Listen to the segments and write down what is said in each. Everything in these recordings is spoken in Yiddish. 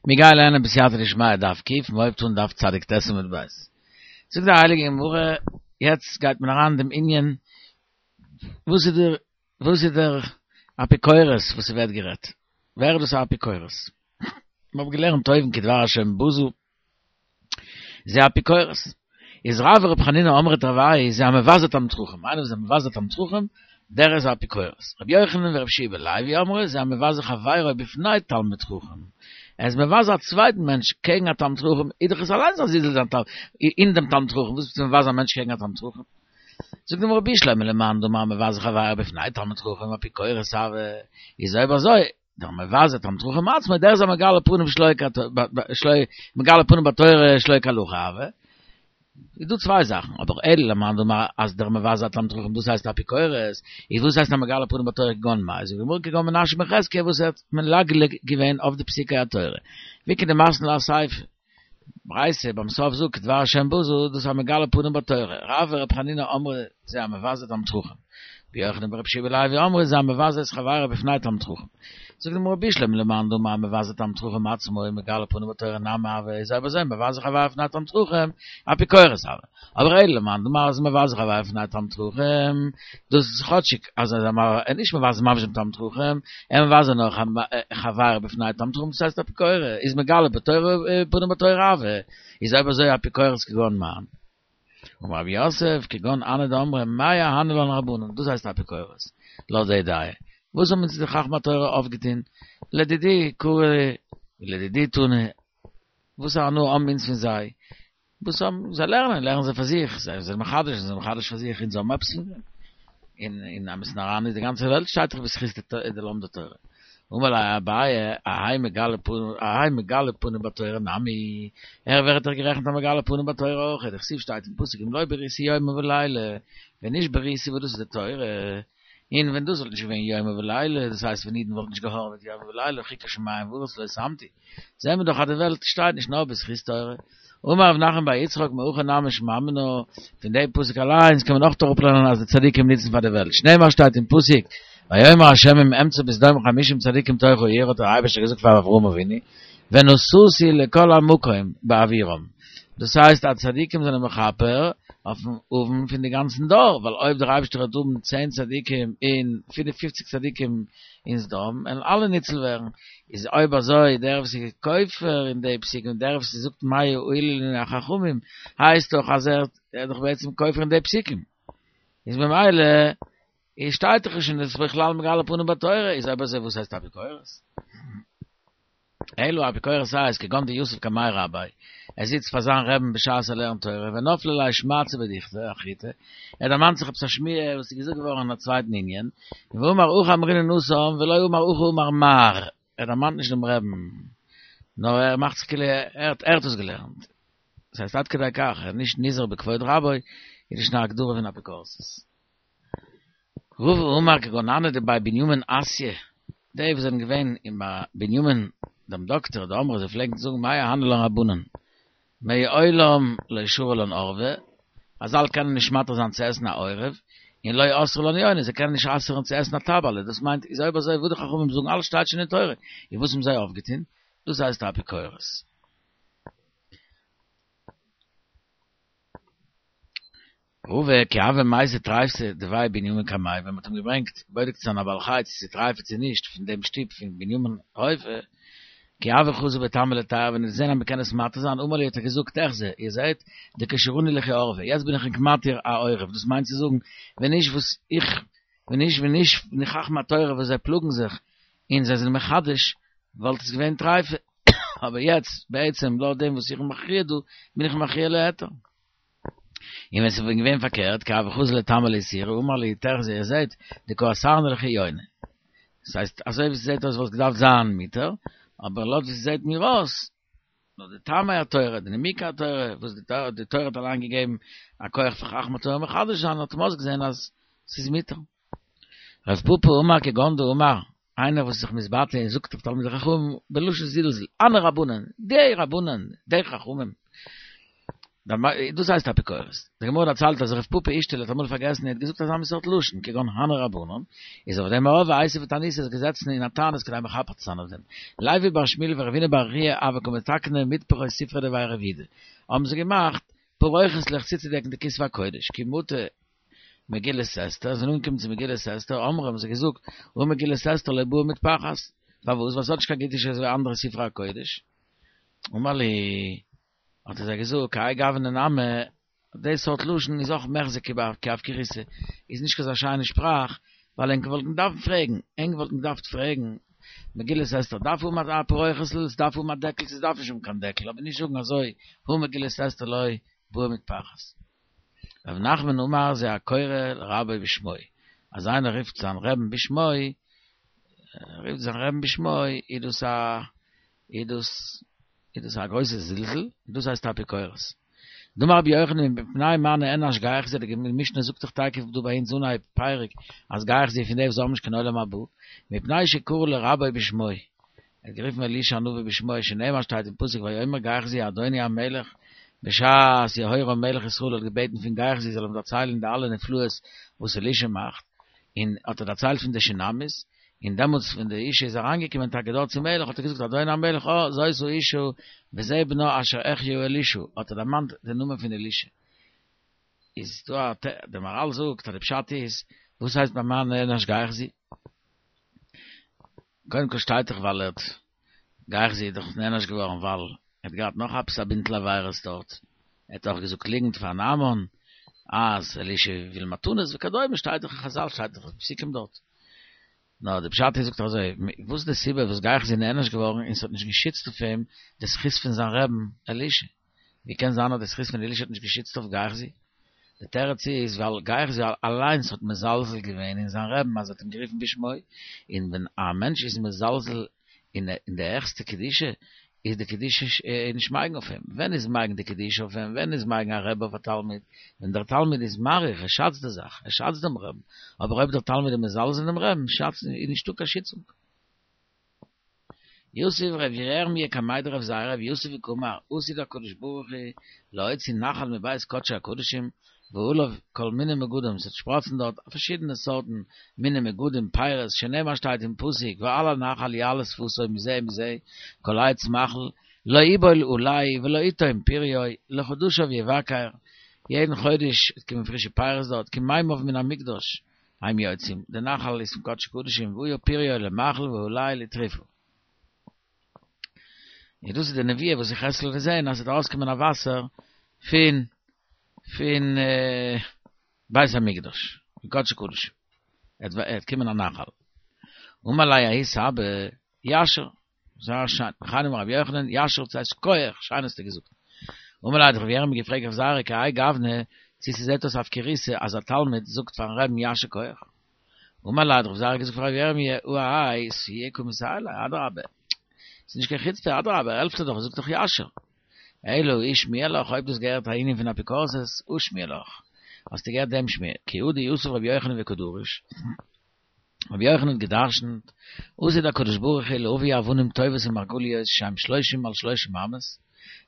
מיר גייען לערנען בסייעתא דשמיא דף ק', מען הויבט אן דף צדיק ט' עמוד ב'. זאגט די הייליגע גמרא, יעצט גייט מען אריין אין דעם ענין, וואס איז דער וואס איז דער אפיקורס וואס ס'ווערט גערעדט? ווער איז דאס א אפיקורס? מיר האבן געלערנט אויבן כדבר השם בזו, זה אפיקורס. איז רב ור' חנינא אמרי תרוייהו זה המבזה תלמיד חכם, איינער וואס איז מבזה תלמיד חכם, דער איז א אפיקורס. רבי יוחנן ורבי יהושע בן לוי אמרי זה המבזה חברו בפני תלמיד חכם, ער איז מבזה א צווייטן מענטש קעגן א תלמיד חכם, איז דאך עס אליינס א זלזול אין דעם תלמיד חכם, וואס ביסטו מבזה א מענטש קעגן א תלמיד חכם? זאגט די גמרא בשלמא למאן דאמר מבזה חברו בפני תלמיד חכם אפיקורס הוי, איז אויב אזוי דער מבזה תלמיד חכם עצמו, דער איז א מגלה פנים שלא שלא מגלה פנים בתורה שלא כהלכה הוי. איז דא צוויי זאכן, אבער אלא למאן דאמר אז דער מבזה תלמיד חכם דאס הייסט אפיקורס, איז וואס הייסט א מגלה פנים בתורה כגון מאי, זאגט די גמרא כגון מנשה בן חזקיה וואס ער האט מלגלג געווען אויף די פסוקי התורה, ואיכא דמתני לה אסיפא. ברייתא ביים סוף זאגט כדבר השם בזו, דאס איז א מגלה פנים בתורה, רב ור' חנינא אמרי זה המבזה תלמיד חכם, רבי יוחנן ורבי יהושע בן לוי אמרי זה המבזה את חברו בפני תלמיד חכם. זאגט די גמרא בשלמא למאן דאמר מבזה תלמיד חכם עצמו מגלה פנים בתורה נמי הוי איז אויב אזוי מבזה חברו בפני תלמיד חכם אפיקורס הוי. אבער אלא למאן דאמר אז מבזה חברו בפני תלמיד חכם, דאס איז כאטשיג אז ער איז נישט מבזה ממש דעם תלמיד חכם, ער מבזה נאר חברו בפני תלמיד חכם דאס הייסט אפיקורס, איז מגלה בתורה פנים בתורה הוי, איז אויב אזוי אפיקורס כגון מאן? אמר רב יוסף כגון הני דאמרי מאי אהני לן רבנן, דאס הייסט אפיקורס, לויט די דעה. וואס האבן אונז די חכמי התורה אויפגעטון? לדידי קרי ולדידי תני, וואס א הנאה האבן אונז פון זיי? וואס האבן זיי לערנען, לערנען זיי פאר זיך, זיי זענען מחדש, זיי זענען מחדש פאר זיך, אונז האבן עפעס פון דעם? אין אין אמת'ן אריין איז די גאנצע וועלט שטייט דאך בזכות די לומדי תורה. אמר ליה אביי, האי מגלה פנים, האי מגלה פנים בתורה נמי, ער ווערט דאך גערעכנט א מגלה פנים בתורה אויך, דכתיב שטייט אין פסוק אם לא בריתי יומם ולילה, ווען נישט בריתי וואס דאס איז די תורה, און ווען דאס וואלט נישט געווען יומם ולילה, דאס הייסט ווען אידן וואלטן נישט געהארעוועט יומם ולילה, חוקות שמים וארץ לא שמתי, זעהן מיר דאך אז די וועלט שטייט נישט נאר בזכות תורה. אמר רב נחמן בר יצחק מהכא נמי שמע מינה, פון די פסוק אליינס קען מען אויך אראפלערנען אז די צדיקים נוצן פאר די וועלט, שנאמר שטייט אין פסוק, ויאמר ה' אם אמצא בסדום חמישים צדיקים תוך העיר האט דער אייבערשטער געזאגט פאר אברהם אבינו, ונשאתי לכל המקום בעבורם, דאס הייסט אז צדיקים זענען מכפר אויפן עוון פון די גאנצן דור, ווייל אויב דער אייבערשטער וועט האבן צען צדיקים און פינף פופציג צדיקים אין סדום וועלן אלע ניצל ווערן, איז אויב אזוי דער וואס איז כופר אין די פסוקים דער וואס זאגט מה הועילו לנו החכמים הייסט דאך אז ער איז דאך בעצם כופר אין די פסוקים, איז ממילא איז שטייט דאך נישט אין דאס בכלל מגלה פנים בתורה, איז אויב אזוי וואס הייסט אפיקורס? אלא אפיקורס הייסט כגון דיתיב קמיה רביה, ער זיצט פאר זיין רעבן בשעת ער לערנט תורה, ונפלה ליה שמעתתא בדוכתא אחריתי, ער דערמאנט זיך עפעס א שמועה וואס איז געזאגט געווארן אין א צווייטן ענין, ואמר הכי אמרינן התם ולא אמר הכי אמר מר, ער דערמאנט נישט דעם רעבן, נאר ער מאכט זיך כאילו ער האט עס געלערנט. דאס הייסט עד כדי כך, ער איז נישט נזהר בכבוד רבו, איז נישט א הגדרה פון אפיקורסות. רבא אמר כגון הני דבי בנימין אסיא, די וואס זענען געווען אין ביי בנימין דעם דאקטער, דאמרי זיי פלעגן זאגן מאי אהני לן רבנן, מעולם לא שרו לן עורבא, חז"ל קענען נישט מתיר זיין צו עסן א עורב, און לא אסרו לן יוני, זיי קענען נישט אסר'ן צו עסן א טבע'לע, דאס מיינט איז אויב אזוי וואס די חכמים זאגן אלעס שטייט שוין אין תורה, און וואס האבן זיי אויפגעטון? דאס הייסט אפיקורס. רבא כי הוה מייתי טריפתא דבי בנימין קמיה ווען מ'האט אים געברענגט בודק צו זיין א בעל חי צו ס'איז טרייפה צו נישט פון דעם שטוב פון בנימין רופא כי הוה חזי בטעמא להיתרא ווען ער האט געזען אז מ'קען עס מתיר זיין אמר להו האט ער געזאגט אחזו איר זעט דכשרוני לכו עורבא יעצט בין איך ענק מתיר א עורב דאס מיינט צו זאגן ווען נישט וואס איך ווען נישט ווען נישט די חכמי התורה וואס זיי פלאגן זיך און זיי זענען מחדש וואלט עס געווען טרייפה אבער יעצט בעצם לויט דעם וואס איך בין מכריע דא בין איך מכריע להיתר. און ווען ס'וואלט געווען פארקערט, כי הוה חזי לטעמא לאיסורא, אמר להו תחזו איר זעט, דקא אסרנא לכו יוני. דאס הייסט, אזוי ווי ס'זעט אויס וואלט געדארפט זיין מותר, אבער לויט ווי ס'זעט מיר אויס, לויט די טעמי התורה, די נימוקי התורה, וואס די תורה האט אליין געגעבן א כח פאר חכמי התורה מחדש זיין, האט מען אויסגעזען אז ס'איז מותר. רב פפא אמר כגון דאמר, איינער וואס איז זיך מתבטא און זאגט אויף תלמידי חכמים בלשון זלזול, הני רבנן, די רבנן, די חכמים. דאס הייסט אפיקורס. די גמרא דערציילט אז רב פפא אישתישבי האט אמאל פארגעסן און האט געזאגט אזא מין סארט לשון, כגון הני רבנן, איז אויף דעם ארויף ואיתיב בתעניתא איז געזעצן אין א תענית כדי מכפר צו זיין אויף דעם. לוי בר שמואל ורבינא בר חייא הוו קא מתקני מטפחות ספרא דבי רב יהודה האבן זיי געמאכט פרוכת'לעך צוצודעקן די כתבי הקודש, כי מטו מגילת אסתר, זענען אנגעקומען צו מגילת אסתר, אמרי האבן זיי געזאגט, הא מגילת אסתר לא בעיא מטפחת, פארוואס? ווייל ס'האט נישט קיין קדושה אזוי ווי אנדערע ספרי הקודש. אמר להו האט ער זיי געזאגט, כהאי גוונא נמי, די סארט לשון איז אויך מיחזי כי אפקורותא, איז נישט קיין אזא שיינע שפראך, ווייל ענק וואלטן געדארפט פרעגן, ענק וואלטן געדארפט פרעגן, מגילת אסתר דארף האבן א פרוכת'ל, ס'דארף האבן א דעקל, ס'דארף נישט האבן קיין דעקל, אבער נישט זאגן אזוי, הא מגילת אסתר לא בעיא מטפחת. רב נחמן אמר זה הקורא לרבו בשמו, אז איינער רופט זיין רעבן בשמו, רופט זיין רעבן בשמו, איז דאס א, איז דאס, איז דאס א גרויסע זלזול, און דאס הייסט אפיקורס. דאמר רבי יוחנן מפני מה נענש גיחזי, די משנה זאגט דאך תיכף דא ביי אונז אנהייב פרק אז גיחזי איז פון די וואס האבן נישט קיין עולם הבא, מפני שקרא לרבו בשמו, ער האט גערופן אלישע הנביא בשמו, שנאמר שטייט אין פסוק ויאמר גיחזי אדוני המלך, בשעת יהורם מלך ישראל האט געבעטן פון גיחזי זאל אים דערציילן די אלע נפלאות וואס אלישע מאכט, און האט ער דערציילט פון די שונמית, און דעמאלטס ווען די אישה איז אריינגעקומען טאקע דארט צום מלך האט ער געזאגט אדוני המלך אה זאת האשה וזה בנה אשר החיה אלישע האט ער דערמאנט די נאמען פון אלישע. איז דא א ת די מהרל זאגט אז די פשט איז וואס הייסט במה נענש גיחזי? קודם כל שטייט דאך ווייל ער האט גיחזי איז דאך נענש געווארן ווייל ער האט געהאט נאך עפעס א בינטל עבירות דארט, ער האט אויך געזאגט ליגנט פאר נעמן אז אלישע וויל מתנות וכדומה, שטייט דאך אין חזל שטייט דאך אין פסוקים דארט. נאר די פשט איז זאגט ער אזוי, וואס איז די סיבה וואס גיחזי איז נענש געווארן און ס'האט נישט געשיצט אויף אים די זכות פון זיין רעבן אלישע? ווי קען זיין אז די זכות פון אלישע האט נישט געשיצט אויף גיחזי? די תירוץ איז ווייל גיחזי אליינס האט מזלזל געווען אין זיין רעבן אז ער האט אים גערופן בשמו, און ווען א מענטש איז מזלזל אין די העכסטע קדושה איז די קדושה נישט מגין אויף אים. ווען איז מגין די קדושה אויף אים? ווען איז מגין א רבי אויף א תלמיד? ווען דער תלמיד איז מעריך, ער שאצט די זאך, ער שאצט דעם רעבן, אבער אויב דער תלמיד איז מזלזל אין דעם רעבן, שאצט, איז נישטא קיין שיצונג. יתיב רב ירמיה קמיה דרב זירא ויתיב וקאמר עתיד הקדוש ברוך הוא להוציא נחל מבית קדשי הקדשים ועליו כל מיני מגדים ס'וועט שפראצן דארט פארשידענע סארטן מיני מגדים פירות שנאמר שטייט אין פסוק ועל הנחל יעלה שפתו מזה ומזה כל עץ מאכל לא יבול עלהו ולא יתום פריו לחדשיו יבקר יעדן חודש וועט קומען פרישע פירות דארט כי מימיו מן המקדש הם יוצאים, די נחל איז פון קדשי קדשים, והיה פריו למאכל ועלהו לתרופה. און דאס איז די נבואה וואס יחזקאל האט געזען אז עס וועט ארויסקומען א וואסער פון פון בית המקדש, פון קדשי קדשים, עס וועט קומען א נחל. אמר ליה ההוא סבא, יישר, זייער שיין, וכן אמר רבי יוחנן, יישר ס'הייסט שכוח, שיין האסטו געזאגט. אמר ליה האט רבי ירמי' געפרעגט רב זירא כהאי גוונא, צו ס'זעט אויס אפקורותא אז א תלמיד זאגט פארן רעבן יישר כח. אמר ליה האט רב זירא געזאגט פאר רבי ירמי' הא האי סייעי קא מסייע ליה, אדרבה, ס'איז נישט קיין חוצפה, אדרבה, ער העלפט דיר דאך, ער זאגט דאך יישר. אלא אי שמיע לך, אויב דו האסט געהערט א ענין פון אפיקורסות, הא שמיע לך, האסטו געהערט דעם שמועה, כי הא דיתיב רבי יוחנן וקא דריש, רבי יוחנן האט גע'דרש'נט, עתיד הקדוש ברוך הוא להביא אבנים טובות ומרגליות שהם שלושים על שלושים אמות,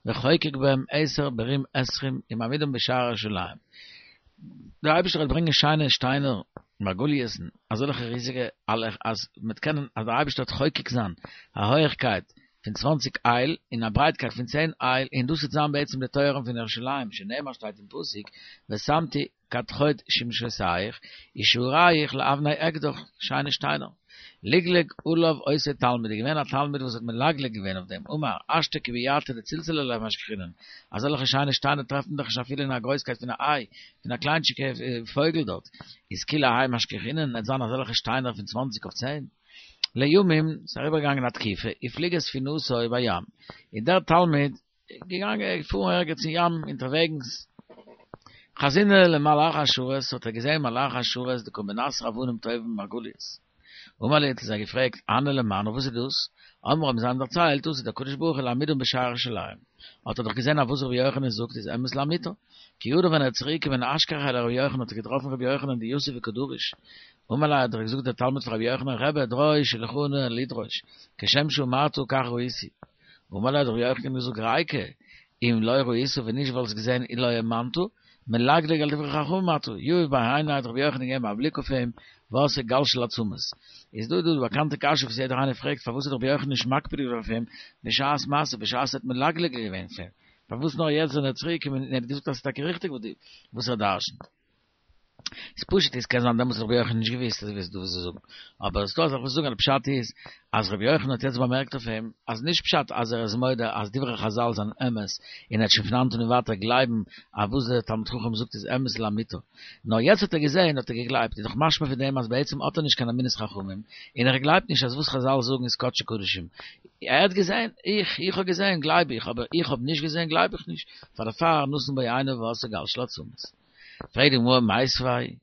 וחוקק בהם עשר ברום עשרים ומעמידם בשער ירושלים. דער אייבערשטער וועט ברענגען שיינע שטיינער, מרגליות'ן, אזעלכע ריזיגע, אז מ'וועט קענען, אז דער אייבערשטער וועט חוקק זיין א הויעכקייט פון צוואנציג אייל און א ברייטקייט פון צען אייל, און דאס וועט זיין בעצם די טויערן פון ירושלים, שנאמר שטייט אין פסוק, ושמתי כדכוד שמשותיך, ושעריך לאבני אקדח, שיינע שטיינער. לגלג עליו אותו תלמיד, איז געווען א תלמיד וואס האט מלגלג געווען אויף דעם, אמר, השתא כי ביעתא דצלצלא לא משכחינן, אזעלכע שיינע שטיינער טרעפט מען דאך נישט אפילו אין א גרויסקייט פון א איי, פון א קליינטשיגע פויגל דארט, איז כולי האי משכחינן, עט זיין אזעלכע שטיינער פון צוואנציג אויף צען. לימים, ס'איז אריבערגעגאנגען א תקופה, הפליגה ספינתו בים, און דער תלמיד, געגאנגען געפארן ערגעץ אין ים אונטערוועגנס, חזינהו למלאך השרת, האט ער געזען מלאך השרת דקא מנסר אבנים טובים ומרגליות. אמר להו האט ער זיי געפרעגט, הני למאן וואס איז דאס? אמרו האבן זיי אים דערציילט, עתיד הקדוש ברוך הוא להעמידם בשער ירושלים. האט ער דאך געזען אז וואס רבי יוחנן זאגט איז אמת לאמיתו. כי הדר ווען ער איז צוריק געקומען אשכחיה לרבי יוחנן האט ער געטראפן רבי יוחנן דיתיב וקא דריש. אמר ליה האט ער געזאגט דער תלמיד פון רבי יוחנן רבי דרוש שלחני לדרוש, כשם שאמרת כך ראיתי. אמר ליה האט רבי יוחנן געזאגט רייקא. אם לא ראית ווען נישט וואלסט געזען אי לא האמנת, מלגלג על דברי חכמים אתה, יהיב ביה עיניה האט רבי יוחנן געגעבן א בליק אויף אים, ועשה גל של עצמות. איז דא דא די באקאנטע קשיא וואס יעדער איינער פרעגט פארוואס האט רבי יוחנן נישט מקפיד געווען אויף אים בשעת מעשה בשעת ער האט מלגלג געווען אויף אים, פארוואס נאר יעצט ווען ער איז צוריק געקומען און ער האט געזאגט אז ס'איז טאקע ריכטיג וואס ער דרשנ'ט. איז פשוט איז קען זיין דעמאלטס האט רבי יוחנן נישט געוויסט אז וואס דו ווילסט זאגן, אבער עס איז דא אזאך וואס זאגן אז די פשט איז אז רבי יוחנן האט יעצט באמערקט אויף אים אז נישט פשט אז ער איז מודה אז דברי חזל זענען אמת און ער וועט שוין פון היינט און ווייטער גלייבן אז וואס דער תלמיד חכם זאגט איז אמת לאמיתו, נאר יעצט האט ער געזען האט ער געגלייבט, איז דאך משמע פון דעם אז בעצם האט ער נישט קיין אמונת חכמים און ער גלייבט נישט אז וואס חזל זאגן איז קדשי קדשים, ער האט געזען, איך איך האב געזען גלייב איך, אבער איך האב נישט געזען גלייב איך נישט, פאר דערפאר נתן בו עינו ועשה גל של עצמות. פרעגט די גמרא מיתיבי,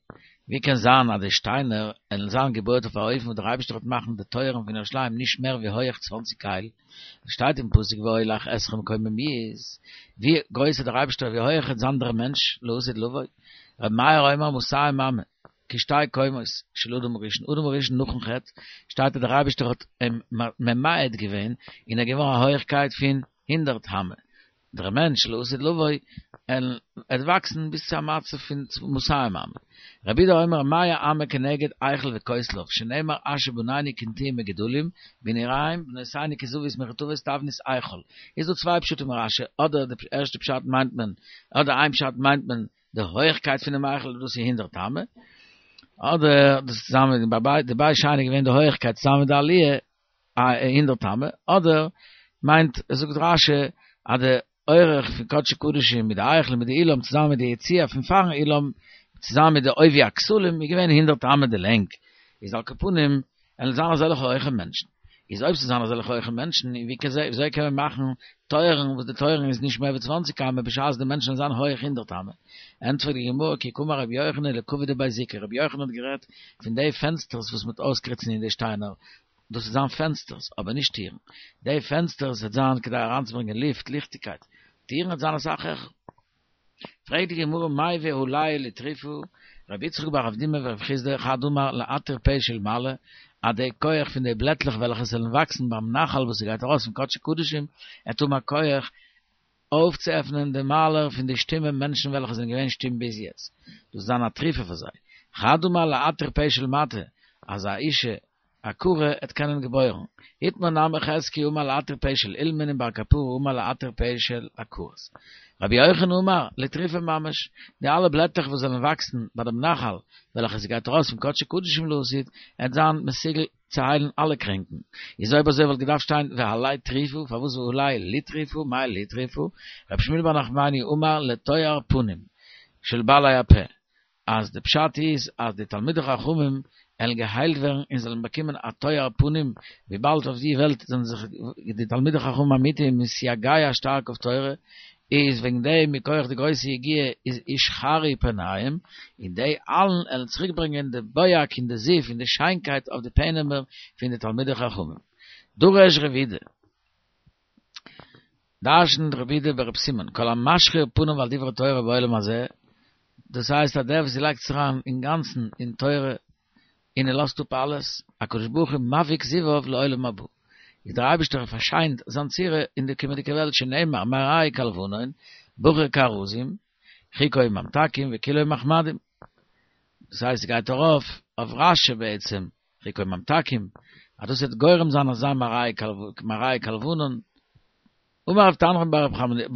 ווי קען זיין אז די שטיינער עלן זיין געבויעט אויף א אופן וואס דער אייבערשטער וועט מאכן די טויערן פון ירושלים נישט מער ווי הויעך צוואנציג אייל, עס שטייט אין פסוק ואולך אתכם קוממיות, ווי גרויס איז דער אייבערשטער ווי הויעך וועט זיין דער מענטש לעתיד לבוא, רבי מאיר אומר מאתים אמה, כשתי קומות של אדם הראשון, אדם הראשון נאכן חטא שטייט אז דער אייבערשטער האט אים ממעט געווען און ער איז געווארן א הויעכקייט פון הונדערט אמה, דער מענטש לעתיד לבוא עט וואקסן ביז צו א מצב פון מאתים אמה. רבי יהודה אומר מאה אמה כנגד היכל וכותליו שנאמר אשר בנינו כנטעים מגודלים בנעוריהם בנותינו כזביות מחוטבות תבנית היכל. איז דא צוויי פשטים אין רשי, אדער די ערשטע פשט מיינט מען, אדער איין פשט מיינט מען די הויכקייט פונעם היכל דאס איז הונדערט אמה, אדער דאס צוזאמען ביי די בית שני איז געווען די הויכקייט צוזאמען מיט די עליה א הונדערט אמה, אדער מיינט זאגט רשי אז די אורך פון קדשי קדשים מיט די היכל מיט די אולם צוזאמען מיט די יציע פון פארן אולם צוזאמען מיט די עובי הכתלים איז געווען הונדערט אמה די לענג, איז על כל פנים עלן זיין אזעלכע הויכע מענטשן, איז אויב ס'זיין אזעלכע הויכע מענטשן ווי קען זיי וויאזוי קען מען מאכן טויערן וואס די טויערן איז נישט מער ווי צוואנציג אמה בשעת די מענטשן זיין הויך הונדערט אמה, ענטפערט די גמרא כי קאמר רבי יוחנן לקוי דבי זיקא, רבי יוחנן האט גערעדט פון די פענסטערס וואס מ'וועט אויסקריצן אין די שטיינער, דאס וועט זיין פענסטערס, אבער נישט טירן. די פענסטערס וועט זיין כדי אריינצוברענגען לופט, ליכטיגקייט. טירן וועט זיין אסאך העכער. פרעגט די גמרא מאי והלא לתרופה, רבי יצחק בר אבדימי ורב חסדא חד אמר להתיר פה של מעלה, אז די כח פון די בלעטלעך וועלכע זאלן וואקסן ביים נחל וואס ס'גייט ארויס פון קדשי קדשים, עט האבן א כח אויפצועפענען די מיילער פון די שטומע מענטשן וועלכע זענען געווען שטום ביז יעצט, דאס זיין א תרופה פאר זיי. חד אמר להתיר פה של מטה, אז א אישה עקרה עט קענען געבוירן. איתמר נמי חזקיה אמר להתיר פה של אילמין און בר קפרא אמר להתיר פה של עקרות. רבי יוחנן אמר, לתרופה ממש, די אלע בלעטלעך וואס זאלן וואקסן ביי דעם נחל וועלכע ס'גייט ארויס פון קדשי קדשים לעתיד, עט זיין מסוגל צו היילן אלע קרענקן. איז אויב אזוי וואלט געדארפט שטיין והלא תרופה, פארוואס והלא לתרופה, מאי לתרופה? רבי שמואל בר נחמני אמר לתואר פנים של בעלי הפה, אז די פשט איז אז די תלמידי חכמים עלן געהיילט ווערן און זאלן באקומען א תואר פנים, וויבאלד אויף די וועלט זענען זיך די תלמידי חכמים אמיתיים מתייגע שטארק אויף תורה, איז וועגן דעם מכח די גרויסע יגיעה איז ישחרו פניהם, און די אלן עלן צוריק ברענגען די בוהק און די זיו און די שיינקייט אויף די פענעמער פון די תלמידי חכמים. דרש רב אידי. דרשנט רב אידי ברב סימון, כל המשחיר פניו על דברי תורה בעולם הזה, דאס הייסט אז דער וואס לייגט זיך אריין אינגאנצן אין תורה און ער לאזט אפ אלעס, הקדוש ברוך הוא מבהיק זיוו לעולם הבא, איז דער אייבערשטער פארשיינט זיין צורה אין די קומענדיגע וועלט שנאמר מראהו כלבנון, בחור כארזים, חיקו ממתקים וכולו מחמדים. דאס הייסט ס'גייט ארויף אויף רשי בעצם, חיקו ממתקים, אז דאס וועט גורם זיין אזא מראהו כלבנון. אמר רב תנחום בר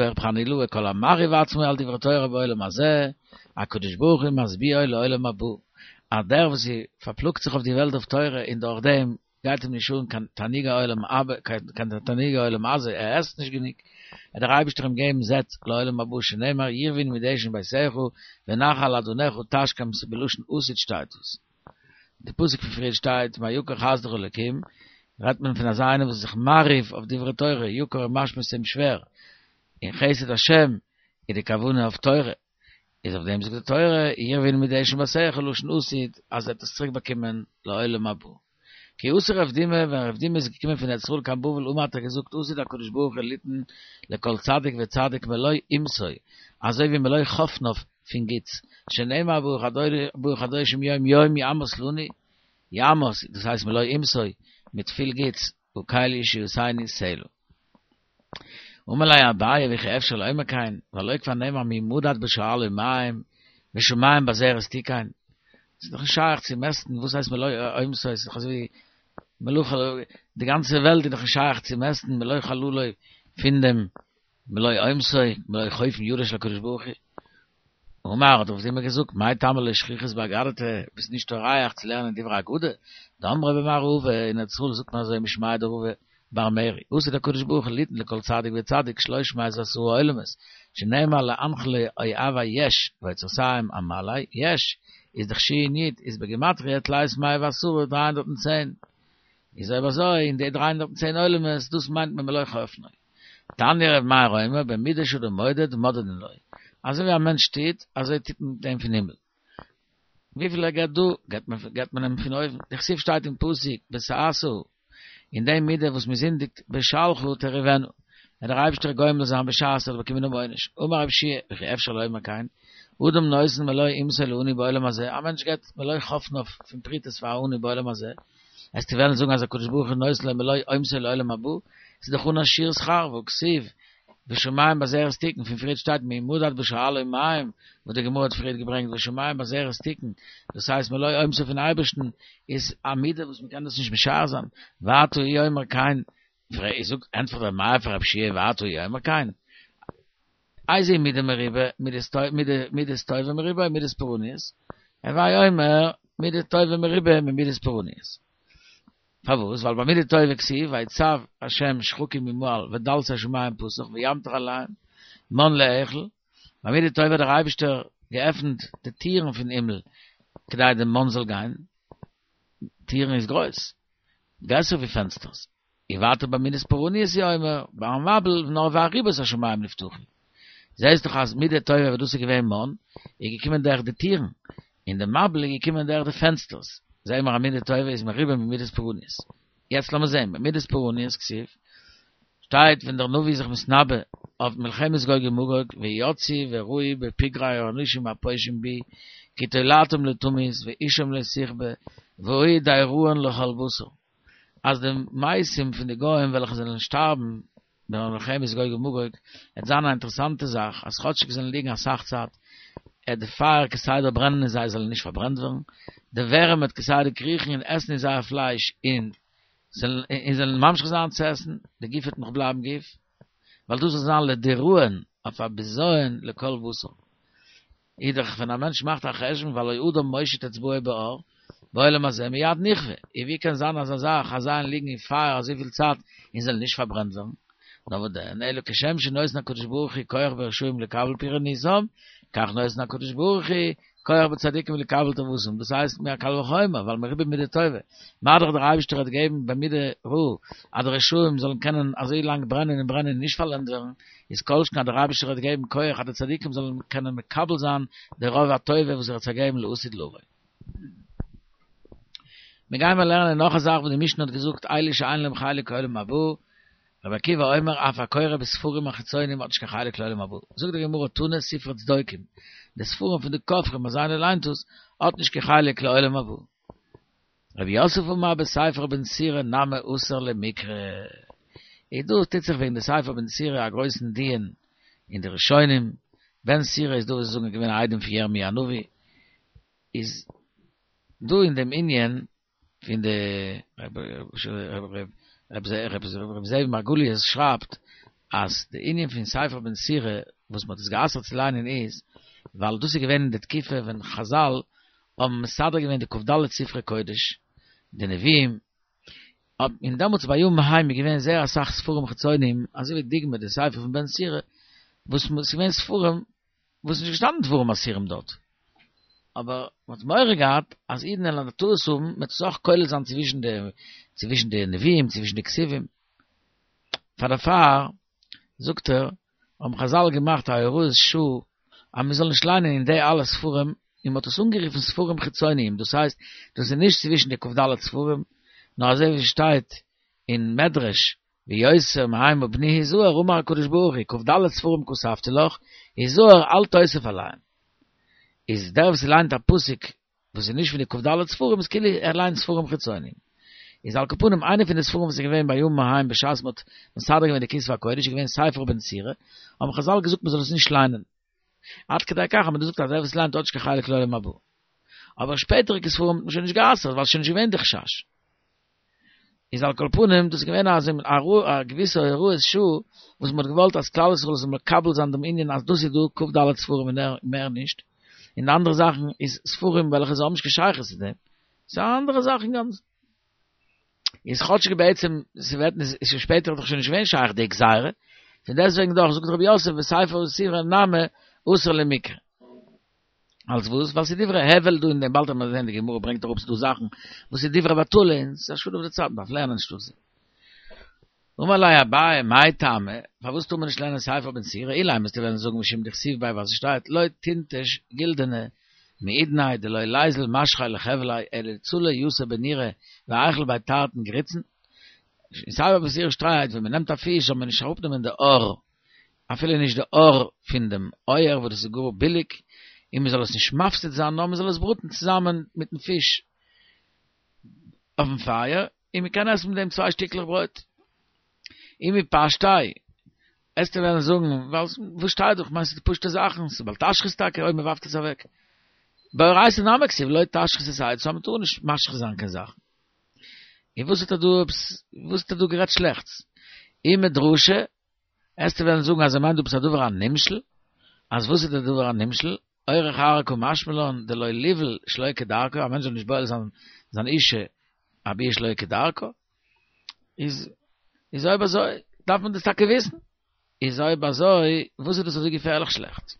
רב חנילאי כל המרהיב עצמו על דברי תורה בעולם הזה, הקדוש ברוך הוא משביעו לעולם הבא, אז דער וואס פארפלאגט זיך אויף די וועלט אויף תורה און דורך דעם גייט אים נישט אן קיין תענוגי עולם הבא, קיין תענוגי עולם הזה, ער עסט נישט גענוג, וועט דער אייבערשטער אים געבן זעט לעולם הבא שנאמר ירביון מדשן ביתך ונחל אדניך תשקם בלשון עתיד שטייט דאס. די פסוק פון פריער שטייט מה יקר חסדך אלקים, רעדט מען פון אזא איינער וואס איז זיך מרהיב אויף דברי תורה, יקר איז משמע ס'איז אים שווער, און חסד השם איז די כוונה אויף תורה, איז אויף דעם זאגט די תורה ירביון מדשן ביתך לשון עתיד אז ער וועט עס צוריק באקומען לעולם הבא. כי אתא רב דימי, ווען רב דימי איז געקומען פון ארץ ישראל קיין בבל אמר האט ער געזאגט עתיד הקדוש ברוך הוא ליתן לכל צדיק וצדיק מלא אימתו, אזוי ווי מלא חפניו פון גוטס, שנאמר ברוך אדוני יום יום יעמס לנו, יעמס, דאס הייסט מלא אימתו, מיט פיל גוטס, הקל ישועתנו סלה. אמר ליה אביי וכי אפשר לומר כן, והלא כבר נאמר מי מדד בשאלו מים ושמים בזרת תיכון, ס'איז דאך נישט שייך צו מעסטן וואס הייסט מלא עומתו, ס'איז דאך אזוי ווי מלא חללו, די גאנצע וועלט איז דאך נישט שייך צו מעסטן מלא חללו פון דעם מלא עומתו, מלא חופן ידו של הקדוש ברוך הוא. אמר האט ער אויף דעם געזאגט, מאי טעמא לא שכיחת באגדתא, ביסט נישט טורח צו לערנען דברי אגדה, דאמרי במערבא, אין ארץ ישראל זאגט מען אזוי משמיה דרבא בר מרי, עתיד הקדוש ברוך הוא ליתן לכל צדיק וצדיק שלוש מאות ועשרה עולמות, שנאמר לאנחלי אוהבי יש, ואוצרותיהם אמלא, יש, איז דאך שין יוד, איז בגימטריא תלת מאה ועשרה 310. איז אויב אזוי, אין די 310 עולמות, דאס מיינט מען מלא חפנו. תניא ר' מאיר אומר, במידה שאדם מודד, מודדין לו. אזוי ווי א מענטש טוט, אזוי טוט מען מיט אים פון הימל. וויפיל ער געבט דא, געבט מען געבט מען אים פון אויבן. דכתיב שטייט אין פסוק, בסאסאה, אין די מידה וואס מען זינדיגט, בשלך תריבנה. וועט דער אייבערשטער גומל זיין בשעת ער האט באקומען דעם עונש. אמר רב יהושע, וכי אפשר לומר כן, אדם נותן מלא אומתו לעני בעולם הזה, א מענטש געבט מלא חפניו פון פרוטות פאר א עני בעולם הזה, וועסטו וועלן זאגן אז הקדוש ברוך הוא נותן לו מלא אומתו לעולם הבא, ס'איז דאך אן א שיעור שכר, והכתיב, ושמים בזרת תיכון, פון פריערט שטייט מי מדד בשאלו מים, וואס די גמרא האט פריערט געברענגט ושמים בזרת תיכון, דאס הייסט מלא אומתו פון אייבערשטן איז א מידה וואס מ'קען דאס נישט משער זיין, ואתה הוא אומר כן, זאגט ענטפערט רבי מאיר פאר רב יהושע ואתה הוא אומר כן, איזו מידה מרובה, מידת טובה מרובה או מידת פורעניות? הוי אומר, מידה טובה מרובה ממידת פורעניות. פארוואס? ווייל ביי מידה טובה כתיב ויצו השם שחקים ממעל ודלתי שמים פתח וימטר עליהם מן לאכול, ביי מידה טובה האט דער אייבישטער געעפנט די טירן פון הימל כדי די מן זאל גיין, טירן איז גרויס, גרעסער ווי פענסטערס, און ווייטער ביי מידת פורעניות הוא אומר, ביים מבול נאר וארובות השמים נפתחו. זעהסט דאך אז מידה טובה וואס דאס איז געווען מן, איז געקומען דורך די טירן, און די מבול איז געקומען דורך די פענסטערס. זעהן מיר אז מידה טובה איז מרובה ממידת פורעניות. יעצט לאמיר זעהן, במידת פורעניות כתיב, שטייט ווען דער נביא איז זיך מתנבא אויף מלחמת גוג ומגוג, ויצאו וראו בפגרי האנשים הפושעים בי, כי תולעתם לא תמות ואשם לא תכבה, והיו דיראון לכל בשר. אז די מתים פון די גוים וועלכע זענען שטארבן ביי מלחמת גוג ומגוג, וועט זיין א אינטערעסאנטע זאך, אז כאטשיג זיי זאלן ליגן אסאך צייט, עט די פייער כסדר ברענען און זיי זאלן נישט פארברענט ווערן, די ווערים וועט כסדר קריכן און עסן אין זייער פלייש און זאלן ממשיך זיין צו עסן, די גוף וועט נאך בלייבן גוף, ווייל דאס זאל זיין לדיראון אויף א בזיון לכל בשר. איז דאך ווען א מענטש מאכט א חשבון והלא אדם מושיט אצבעו באור, בעולם הזה מיד נכווה, און ווי קען זיין אזא זאך אז זיי ליגן אין פייער אזויפיל צייט און זאלן נישט פארברענט ווערן? נאר וואס דען, אלא כשם שנותן הקדוש ברוך הוא כח ברשעים לקבל פורענותם, כך נותן הקדוש ברוך הוא כח בצדיקים לקבל טובתם, דאס הייסט מער קל וחומר, ווייל מרובה מידה טובה, מה דאך דער אייבערשטער האט געגעבן במידה רעה אז די רשעים זאלן קענען אזוי לאנג ברענען און ברענען און נישט פארלענדט ווערן, איז כל שכן אז דער אייבערשטער האט געגעבן כח אז די צדיקים זאלן קענען מקבל זיין די רוב הטובה וואס ער האט זיי געגעבן לעתיד לבוא. מיר גיימער לערנען נאך א זאך וואס די משנה האט געזאגט אלו שאין להם חלק לעולם הבא, רבי עקיבא אומר אף הקורא בספרים החיצונים האט נישט קיין חלק לעולם הבא, זאגט די גמרא תנא ספרי צדוקים, די ספרים פון די כופרים אז איינער ליינט עס האט נישט קיין חלק לעולם הבא. רב יוסף אמר בספר בן סירא נמי אסור למיקרי. איז דא טוט זיך וועגן די ספר בן סירא א גרויסן דיון אין די ראשונים, בן סירא איז דא וואס זאגן געווען א איידעם פון ירמי' הנביא, איז דא אין דעם ענין פון די רבי זאב מרגליות שרייבט אז די ענין פון ספר בן סירא וואס מען האט עס גע'אסר'ט צו ליינען איז ווייל דאס איז געווען אין די תקופה ווען חזל האבן מסדר געווען די כ"ד ספרי קודש, די נביאים, און דעמאלטס בימים ההם איז געווען זייער אסאך ספרים חיצוניים, אזוי ווי דוגמא די ספר פון בן סירא, וואס ס'איז געווען ספרים וואס איז נישט געשטאנען דברים אסורים דארט, אבער מ'האט מורא געהאט אז אידן וועלן א טעות האבן, מ'וועט עס אויך כולל זיין צווישן די צווישן די נביאים, צווישן די כתובים, פאר דערפאר זאגט ער, האבן חזל געמאכט א הוראת שעה אז מען זאל נישט ליינען אין די אלע ספרים, און מען האט עס אנגערופן ספרים חיצוניים, דאס הייסט דאס איז נישט צווישן די כ"ד ספרים, נאר אזוי ווי ס'שטייט אין מדרש ויותר מהמה בני הזהר אמר הקדוש ברוך הוא כ"ד ספרים כתבתי לך, הזהר אל תוסיף עליהם. איז דער וואס ליינט א פסוק וואס איז נישט פון די כ"ד ספרים איז כאילו ער ליינט ספרים חיצוניים. איז על כל פנים איינע פון די ספרים וואס איז געווען בימים ההם בשעת מ'האט מסדר געווען די כתבי הקודש איז געווען ספר בן סירא, האבן חזל געזאגט מ'זאל עס נישט ליינען. עד כדי כך אז מ'האט געזאגט אז דער וואס ליינט האט נישט קיין חלק לעולם הבא. אבער שפעטעריגע ספרים האט מען שוין נישט גע'אסר'ט ווייל ס'איז שוין נישט געווען די חשש. איז על כל פנים דאס איז געווען א א געוויסע הוראת שעה וואס מ'האט געוואלט אז כלל ישראל זאל מקבל זיין דעם ענין אז דאס איז דא כ"ד ספרים און מער נישט, און די אנדערע זאכן איז ספרים וועלכע זיי האבן נישט קיין שייכות צו דעם, ס'איז א אנדערע זאך אינגאנצן. איז כאטשיג בעצם ס'ווערט נישט איז שפעטער דאך שוין נישט געווען שייך די גזירה, פון דעסטוועגן דאך זאגט רב יוסף וספר בן סירא נמי אסור למיקרי. אלס וואס? ווייל ס'איז דברי הבל דא אין דעם, באלד וועט מען זען די גמרא ברענגט אראפ ס'דא זאכן וואס איז דברי בטלה און ס'איז א שאד אויף די צייט, מ'דארף לערנען אנשטאט זיי. אמר ליה אביי מאי טעמא, פארוואס טאר מען נישט לערנען ספר בן סירא, אילימא וועסטו וועלן זאגן משום דכתיב ביה ווייל ס'שטייט לא תינטש גילדנא מעידניה דלא ליזיל משכיה לחבליה אלא לצלי יתר בנורא ואיכול ביה תרתין גריצין. אין ספר בן סירא שטייט ווען מ'נעמט א פיש זאל מען נישט אראפנעמען די עור אפילו נישט די עור פון דעם אויער וואס דאס איז גאר ביליג, און מען זאל עס נישט מפסיד זיין נאר מען זאל עס בראטן צוזאמען מיטן פיש אויפן פייער, און מען קען עסן מיט דעם צוויי שטיקלעך ברויט. אי מפשטיה, עסטו וועלן זאגן, ווייל וואס שטייט דא, כ'מיין ס'איז פשוטע זאכן, ס'איז בל תשחית טאקע אויב מען ווארפט עס אוועק. באורייתא נמי כתיב לא תשחית את העץ, סאו מען טאר נישט משחית זיין קיין זאכן. און וואס האט ער דא עפעס, וואס האט ער דא גערעדט שלעכטס? אי מדרשא, עסטו וועלן זאגן אז ער מיינט דא עפעס א דבר הנמשל, אז וואס איז דער דבר הנמשל? אורח ארעא קא משמע לן דלא ליבעול שלא כדרכה, א מענטש זאל נישט בועל זיין זיין אישה א ביאה שלא כדרכה, איז איז אויב אזוי דארף מען דאס טאקע וויסן, איז אויב אזוי וואס איז דאס אזוי געפערליך שלעכט?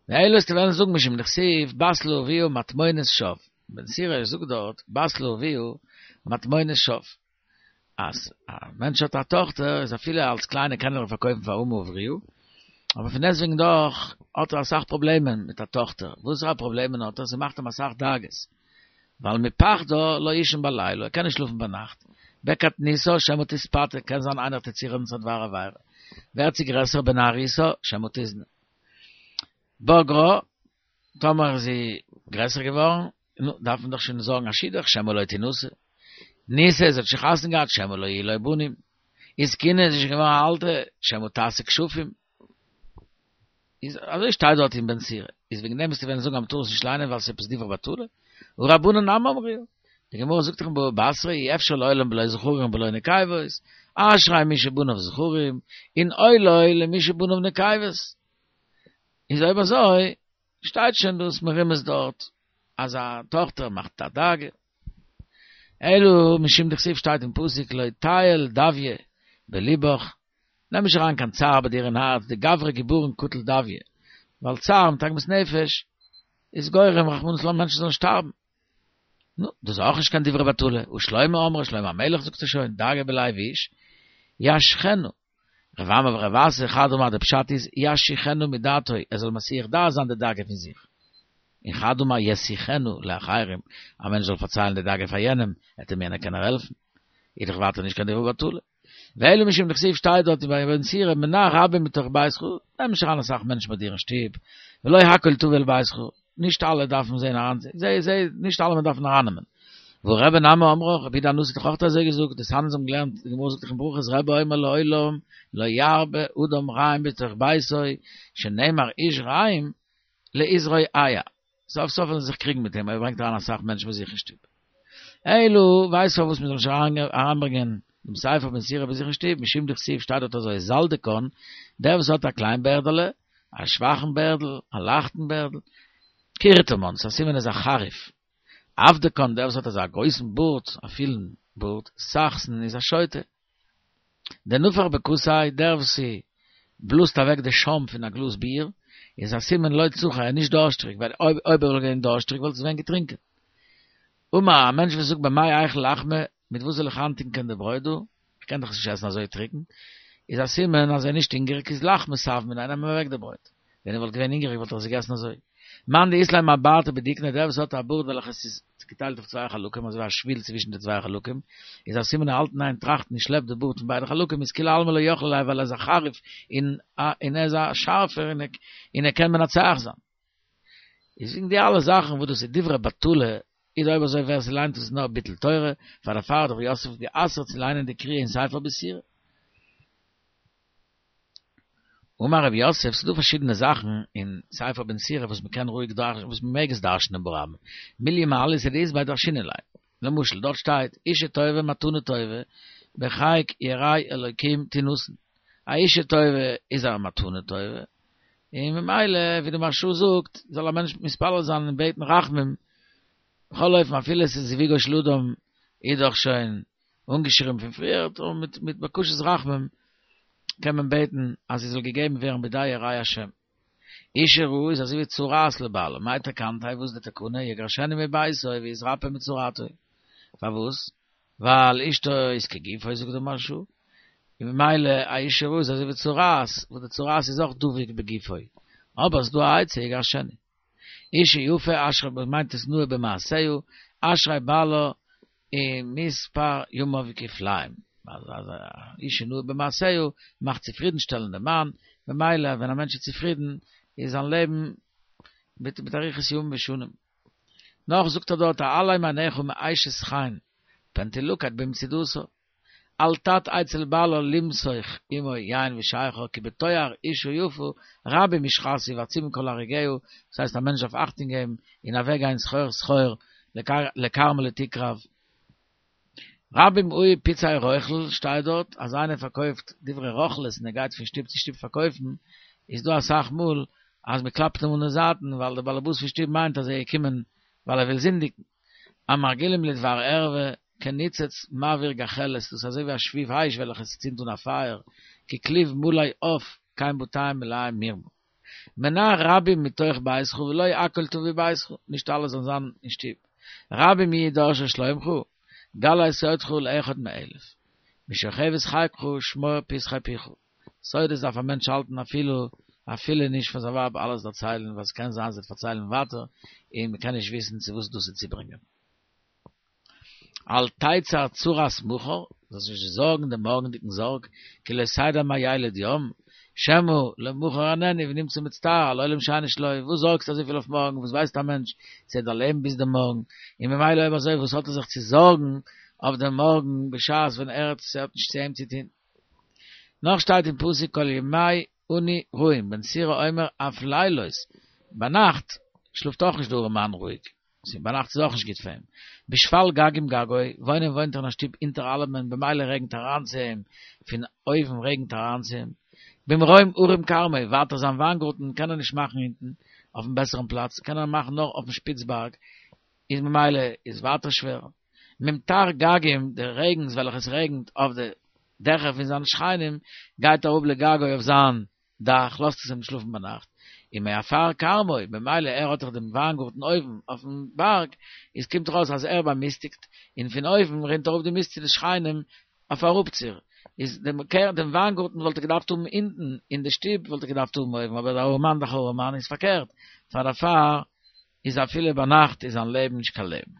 ואלא עסטו וועלן זאגן משום דכתיב בת לאביה מטמונות שוא, בן סירא זאגט דארט בת לאביה מטמונות שוא. אז א מענטש האט א טאכטער איז אפילו אלס קליינע קען ער איר פארקויפן פאר אמה עבריה, אבער פון דעסטוועגן דאך האט ער אסאך פראבלעמען מיט א טאכטער, וואסערע פראבלעמען האט ער? ס'מאכט אים אסאך דאגות, ווייל מפחדה לא יישן בלילה, ער קען נישט שלאפן ביינאכט, בקטנותה שמא תתפתה, קען זיין איינער טוט צורעדן צו א דבר עבירה, ווערט זי גרעסער בנערותה שמא תזנה. בגרה, טאמער איז זי גרעסער געווארן, נו, דארף מען דאך שוין זארגן א שידוך, שמא לא תנשא. נישאת, זי האט שוין חתונה געהאט, שמא לא יהיו לו בנים. הזקינה, זי איז שוין געווארן א אלטע, שמא תעשה כשפים. איז אזוי שטייט דארט אין בן סירא. איז וועגן דעם וועסטו וועלן זאגן אז מ'טאר עס נישט ליינען ווייל ס'איז עפעס דברי בטלה? הא רבנן נמי אמרוה. די גמרא זאגט דאך אין בבא בתרא אי אפשר לעולם בלא זכרים ובלא נקבות, אשרי מי שבניו זכרים, און אוי לו למי שבניו נקבות. איז אויב אזוי שטייט שוין דאס מרומז דארט אז א טאכטער מאכט א דאגה. אלא משום דכתיב שטייט אין פסוק לא תיעול דויא בלבך, נעם נישט אריין קיין צער ביי דיר אין הארץ, דגברא גבורין קטיל דויא, ווייל צער מיט עגמת נפש איז גורם רחמנא לצלן מענטשן זאלן שטארבן. נו, דאס איז אויך נישט קיין דברי בטלה, הא שלמה אמרה, שלמה המלך זאגט עס שוין, דאגה בלב איש ישחנה. רב אמי ורב אסי חד אמר די פשט איז ישיחנה מדעתו ער זאל מסיח דעת זיין די דאגה פון זיך, און חד אמר ישיחנה לאחרים א מענטש זאל פארציילן די דאגה פאר יענעם עט אים יענער קענען העלפן, איז דאך ווייטער נישט קיין דברי בטלה. ואלא משום דכתיב שטייט דארט ביי בן סירא מנע רבים מתוך ביתך, נעם נישט אריין אסאך מענטשן ביי דיר אין שטוב, ולא הכל תביא אל ביתך, נישט אלע דארפן זען אריין, זיי זיי נישט אלעמען דארף מען ארייננעמען. והא רבי נמי אמרה, רבי יהודה הנשיא האט דאך אויך אזוי געזאגט, דתניא אונז האבן געלערנט, די גמרא זאגט דאך אין ברכות רבי אומר לעולם לא ירבה אדם רעים בתוך ביתו, שנאמר איש רעים להתרועע, סוף סוף וועלן זיי זיך קריגן מיט אים אויב ער ברענגט אריין אסאך מענטשן ביי זיך אין שטוב. אלא ווייסט פארוואס מען זאל נישט אריינברענגען דעם ספר בן סירא ביי זיך אין שטוב, משום דכתיב שטייט דארט אזוי זלדקן, דער וואס האט א קליין בערדעלע, א שוואכן בערדל, א לייכטן בערדל, קורטמאן, ס'איז א סימן איז א חריף. אבדקן, דער וואס האט אזא גרויסן בארד, א פילן בארד, סחסן, איז א שוטה. דנפח בכוסיה, דער וואס בלאזט אוועק די שוים פון א גלאז ביר, איז א סימן לא צחי, ער איז נישט דארשטריג, ווייל אויב אויב ער וואלט געווען דארשטריג וואלט ער עס ווען געטרינקען. אמר, א מענטש וואס זאגט במאי איכול לחמא, מיט וואס זאל איך איינטונקען די ברויט דא? איך קען דאך עס נישט עסן אזוי טרוקן. איז א סימן אז ער איז נישט הונגעריג, איז לחמא סב מיניה, נעם אים אוועק די ברויט. ווען ער וואלט געווען הונגעריג וואלט ער עס געגעסן אזוי. מאן דאית ליה מעברתא בדיקנא, דער וואס האט א בארד וועלכע עס איז געטיילט אויף צוויי חלקים, אזוי ווי א שביל צווישן די צוויי חלקים, איז א סימן ער האלט אין איין טראכטן און שלעפט די בארד פון ביידע חלקים, איז כולי עלמא לא יכלי ליה ווייל ער איז א חריף און און ער איז א שארפער און ער קען מנצח זיין. איז וועגן די אלע זאכן וואס דאס איז דברי בטלה. איז אויב אזוי ווער ס'ליינט עס נאר ביטול תורה, פאר דערפאר האט רב יוסף גע'אסר'ט צו ליינען די קריאה אין ספר בסורא. אמר רב יוסף, ס'דא פארשידענע זאכן אין ספר בן סירא וואס מ'קען רואיג דרש'נען, וואס מ'מעג עס דרש'נען ברבים, מילי מעלייתא דאית ביה דרשינן ליה. למשל, דארט שטייט, אישה טובה מתנה טובה, בחיק יראי אלוקים תינתן. א אישה טובה איז א מתנה טובה, און ממילא, ווי די מהרש"א זאגט, זאל א מענטש מתפלל זיין און בעטן רחמים, בכל אופן אפילו עס איז זיווגו של אדם איז דאך שוין אנגעשריבן פון פריער, און מיט מיט בקשת רחמים קען מען בעטן אז זי זאל געגעבן ווערן בידי יראי השם. אישה רעה איז אזוי ווי צרעת לבעלה, מאי תקנתיה, וואס איז די תקנה, יגרשנה מביתו ויתרפא מצרעתו. פארוואס? ווייל אשתו איז כגופו זאגט דער מהרש"א, און ממילא א אישה רעה איז אזוי ווי צרעת, וואס די צרעת איז אויך דבוק בגופו, אבער ס'איז דא א עצה יגרשנה. אישה יפה אשרי מיינט עס נאה במעשיה, אשרי בעלה ומספר ימיו כפליים, אז א אישה נאה במעשיה מאכט צופרידנשטעלן דעם מאן, ממילא ווען א מענטש איז צופרידן איז זיין לעבן מיט מיט אריכות ימים ושנים. נאך זאגט ער דארט העלם עיניך מאשת חן פן תלכד במצודתה. אל תט אצל בעלה למסוך עמו יין ושכר כי בתואר אישה יפה רבים ישחתו ועצומים כל הרוגיה, דאס הייסט א מענטש דארף אכטונג געבן און אוועק גיין סחור סחור לכרמלית תקרב. רבים היו פצעי רוכל שטייט דארט אז איינער פארקויפט דברי רוכלות און ער גייט פון שטוב צו שטוב פארקויפן איז דא אסאך מאל אז מען קלאפט אים אן די זייטן ווייל דער באלעבאס פון שטוב מיינט אז ער איז געקומען ווייל ער וויל זינדיגן. המרגילים לדבר ערווה, כניצוץ מבעיר גחלת, דאס איז אזוי ווי א שביב אש וועלכע ס'צינדט אן א פייער, ככלוב מלא עף, כן בתיהם מלאים מרמה. מנע רבים מתוך ביתך ולא הכל תביא ביתך, נישט אלע זאלן זיין אין שטוב. רבים יהיו דורשי שלומך, גלה סודך לאחד מאלף. משוכבת חיקך שמור פתחי פיך. סודות דארף א מענטש האלטן אפילו אפילו נישט פאר זיין ווייב אלעס דערציילן ווייל ס'קען זיין זי וועט פארציילן ווייטער און מ'קען נישט וויסן צו וואס דאס וועט צוברענגען. אל תצר צרת מחר, זאלסט נישט זארגן דעם מארגנדיגן זארג, כי לא תדע מה ילד יום, שמא למחר איננו ונמצא מצטער על עולם שאינו שלו, וואס זארגסטו אזויפיל אויף מארגן, וואס ווייסט א מענטש צו ער וועט דערלעבן ביז דעם מארגן, און ממילא אויב אזוי וואס האט ער זיך צו זארגן אויף דעם מארגן בשעת ווען ער האט נישט צו אים צו טון. נאך שטייט אין פסוק כל ימי עני רעים, בן סירא אומר אף לילות, ביינאכט שלאפט אויך נישט דער ארעמאן רואיג, ביינאכט איז אויך נישט גוט פאר אים, בשפל גגים גגו, וואוינען וואוינט ער אין א שטוב אונטער אלעמען במילא רעגנט אריין צו אים, פון אויבן רעגנט אריין צו אים, במרום הרים כרמו, ווייטער זיין וויינגארטן קען ער נישט מאכן אונטן, אויפן בעסערן פלאץ, קען ער מאכן נאר אויפן שפיץ בארג, איז ממילא איז ווייטער שווער. ממטר גגים, די רעגנס וועלכע עס רעגנט אויף די דעכער פון זיינע שכנים, גייט אראפ לגגו אויף זיין דאך, לאזט עס אים שלאפן ביינאכט, ומעפר כרמו, ממילא ער האט דאך דעם וויינגארטן אויבן אויפן בארג, איז קומט דאך אויס אז ער באמיסטיגט, און פון אויבן רינט אראפ די מיסט צו די שכנים אויף אראפציר, איז דעם קער דעם וויינגארטן וואלט ער געדארפט האבן אונטן, און די שטוב וואלט ער געדארפט האבן אויבן, אבער דער ארעמאן דאך ארעמאן איז פארקערט, פאר דערפאר איז אפילו ביינאכט איז זיין לעבן נישט קיין לעבן.